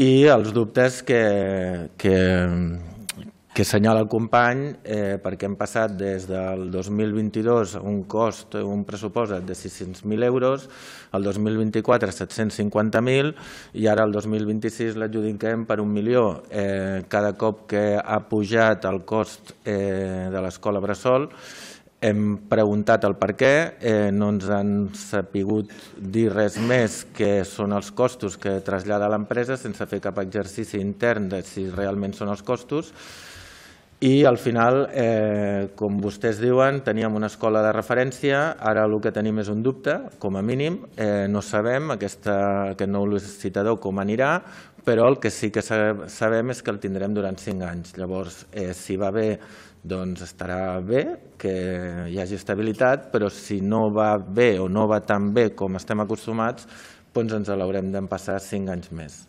I els dubtes que assenyala el company, perquè hem passat des del 2022 a un cost, un pressupost de 600.000 euros, el 2024 750.000 i ara el 2026 l'adjudiquem per 1 milió. Cada cop que ha pujat el cost de l'escola bressol hem preguntat el per què, no ens han sabut dir res més que són els costos que trasllada l'empresa sense fer cap exercici intern de si realment són els costos. I al final, com vostès diuen, teníem una escola de referència, ara el que tenim és un dubte, com a mínim, no sabem aquest nou licitador com anirà, però el que sí que sabem és que el tindrem durant 5 anys. Llavors, si va bé, doncs estarà bé que hi hagi estabilitat, però si no va bé o no va tan bé com estem acostumats, doncs ens l'haurem d'empassar 5 anys més.